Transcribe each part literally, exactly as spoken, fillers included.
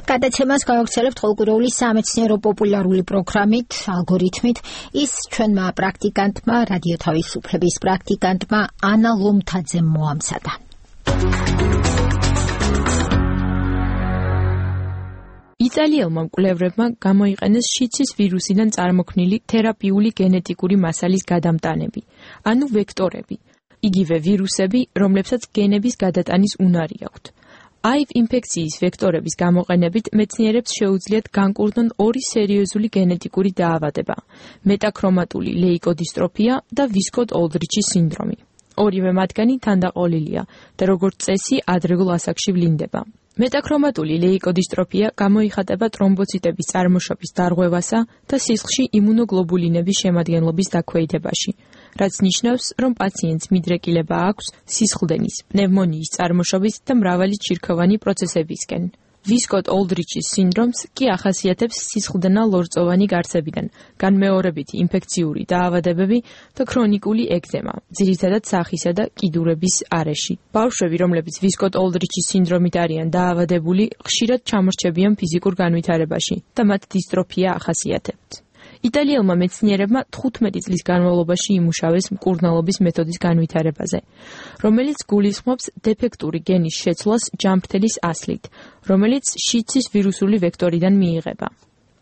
გადაცემას გავაგრძელებთ ყოველკვირეული სამეცნიერო პოპულარული პროგრამით, ალგორითმით. ის ჩვენმა პრაქტიკანტმა, რადიო თავისუფლების პრაქტიკანტმა ანა ლომთაძემ მოამზადა. იტალიელმა მკვლევრებმა გამოიყენეს შიცის ვირუსიდან წარმოქმნილი თერაპიული გენეტიკური მასალის გადამტანები, ანუ ვექტორები, იგივე ვირუსები, რომლებსაც გენების გადატანის უნარი აქვთ. აივ ინფექციის ვექტორების გამოყენებით მეცნიერებს შეუძლიათ განკურნონ ორი სერიოზული გენეტიკური დაავადება: მეტაქრომატული ლეიკოდინსტროფია და ვისკოტ-ოლდრიჩის სინდრომი. ორივე მათგანი თანდაყოლილია და როგორც წესი ადრეულ ასაკში ვლინდება. მეტაქრომატული ლეიკოდინსტროფია გამოიხატება ტრომბოციტების წარმოშობის დარღვევასა და სისხლში იმუნოგლობულინების შემადგენლობის დაქვეითებაში, რაც ნიშნავს, რომ პაციენტს მიდრეკილება აქვს სისხლდენის, პნევმონიის წარმოშობის და მრავალი ჩირქოვანი პროცესებისკენ. ვისკოტ-ოლდრიჩის სინდრომს კი ახასიათებს სისხლდენა-ლორწოვანი გარსებიდან განმეორებითი ინფექციური დაავადებები და ქრონიკული ეგზემა, ძირითადად სახისა და კიდურების არეში. ბავშვები, რომლებიც ვისკოტ-ოლდრიჩის სინდრომით არიან დაავადებული, ხშირად ჩამორჩებიან ფიზიკურ განვითარებაში და მათ დისტროფია ახასიათებთ. იტალიელმა მეცნიერებმა თხუთმეტი წლის განმავლობაში იმუშავეს მკურნალობის მეთოდის განვითარებაზე, რომელიც გულისხმობს დეფექტური გენის შეცვლას ჯანმრთელის ასლით, რომელიც შიცის ვირუსული ვექტორიდან მიიღება.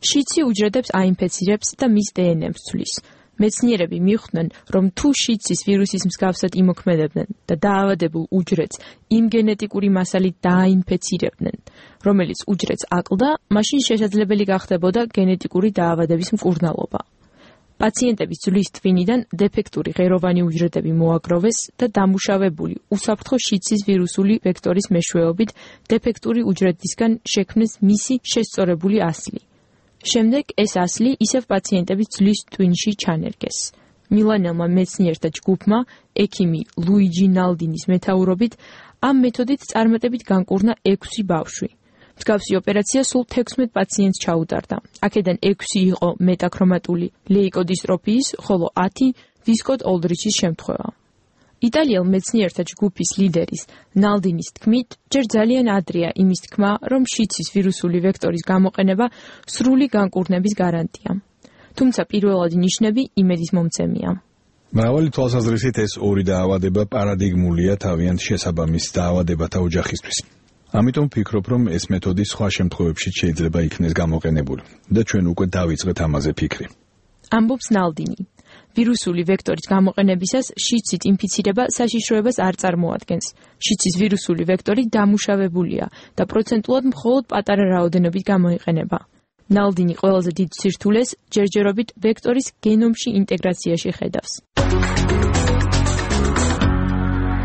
შიცი უჯრედებს აინფეცირებს და მის დე ენ ემს ცვლის. მეცნიერები მიხვდნენ, რომ თუ შიცის ვირუსის მსგავსად იმოქმედებდნენ და დაავადებულ უჯრედს იმ გენეტიკური მასალით დააინფეცირებდნენ, რომელიც უჯრედს აკლდა, მაშინ შესაძლებელი გახდებოდა გენეტიკური დაავადების მკურნალობა. პაციენტების ძვლის ტვინიდან დეფექტური ღეროვანი უჯრედები მოაგროვეს და დამუშავებული უსაფრთხო შიცის ვირუსული ვექტორის მეშვეობით დეფექტური უჯრედისგან შექმნეს მისი შესწორებული ასლი. შემდეგ ეს ასლი ისევ პაციენტების ძვლის ტვინში ჩანერგეს. მილანელმა მეცნიერთა ჯგუფმა, ექიმი ლუიჯი ნალდინის მეთაურობით, ამ მეთოდით წარმატებით განკურნა ექვსი ბავშვი. მსგავსი ოპერაცია სულ თექვსმეტ პაციენტს ჩაუტარდა. აქედან ექვსი იყო მეტაქრომატული ლეიკოდინსტროფიის, ხოლო ათი ვისკოტ-ოლდრიჩის შემთხვევა. იტალიელ მეცნიერთა ჯგუფის ლიდერის ნალდინის თქმით, ჯერ ძალიან ადრეა იმის თქმა, რომ შიცის ვირუსული ვექტორის გამოყენება სრული განკურნების გარანტია. თუმცა პირველადი ნიშნები იმედის მომცემია. მრავალი თვალსაზრისით ეს ორი დაავადება პარადიგმულია თავიანთ შესაბამის დაავადებათა ოჯახისთვის. ამიტომ ვფიქრობ, რომ ეს მეთოდი სხვა შემთხვევებში შეიძლება იქნეს გამოყენებული და ჩვენ უკვე დავიწყეთ ამაზე ფიქრი. ამბობს ნალდინი. ვირუსული ვექტორის გამოყენებისას შიცით ინფიცირება საშიშროებას არ წარმოადგენს. შიცის ვირუსული ვექტორი დამუშავებულია და პროცენტულად მხოლოდ პატარა რაოდენობით გამოიყენება. ნალდინი ყველაზე დიდ სირთულეს ჯერჯერობით ვექტორის გენომში ინტეგრაციაში ხედავს.